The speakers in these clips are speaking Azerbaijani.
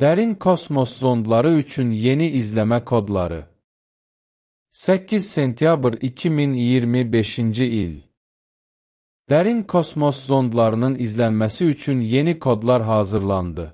Dərin kosmos zondları üçün yeni izləmə kodları. 8 sentyabr 2025-ci il. Dərin kosmos zondlarının izlənməsi üçün yeni kodlar hazırlandı.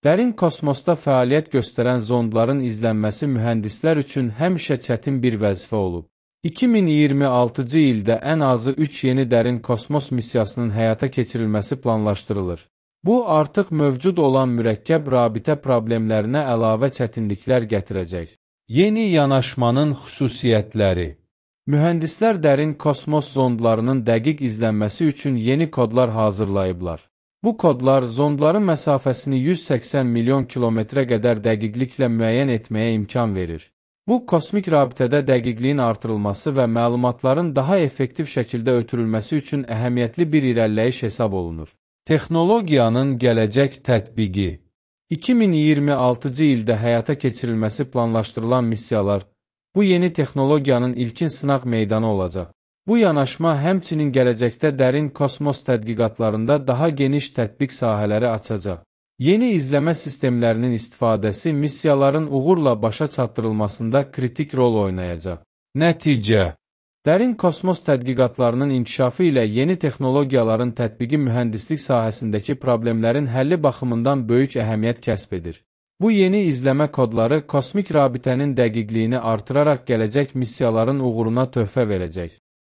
Dərin kosmosda fəaliyyət göstərən zondların izlənməsi mühəndislər üçün həmişə çətin bir vəzifə olub. 2026-cı ildə ən azı 3 yeni dərin kosmos missiyasının həyata keçirilməsi planlaşdırılır. Bu, artıq mövcud olan mürəkkəb rabitə problemlərinə əlavə çətinliklər gətirəcək. Yeni yanaşmanın xüsusiyyətləri. Mühəndislər dərin kosmos zondlarının dəqiq izlənməsi üçün yeni kodlar hazırlayıblar. Bu kodlar zondların məsafəsini 180 milyon kilometrə qədər dəqiqliklə müəyyən etməyə imkan verir. Bu, kosmik rabitədə dəqiqliyin artırılması və məlumatların daha effektiv şəkildə ötürülməsi üçün əhəmiyyətli bir irəliləyiş hesab olunur. Texnologiyanın gələcək tətbiqi. 2026-cı ildə həyata keçirilməsi planlaşdırılan missiyalar, bu yeni texnologiyanın ilkin sınaq meydanı olacaq. Bu yanaşma həmçinin gələcəkdə dərin kosmos tədqiqatlarında daha geniş tətbiq sahələri açacaq. Yeni izləmə sistemlərinin istifadəsi missiyaların uğurla başa çatdırılmasında kritik rol oynayacaq. Nəticə. Dərin kosmos tədqiqatlarının inkişafı ilə yeni texnologiyaların tətbiqi mühəndislik sahəsindəki problemlərin həlli baxımından böyük əhəmiyyət kəsb edir. Bu yeni izləmə kodları kosmik rabitənin dəqiqliyini artıraraq gələcək missiyaların uğuruna töhfə verəcək.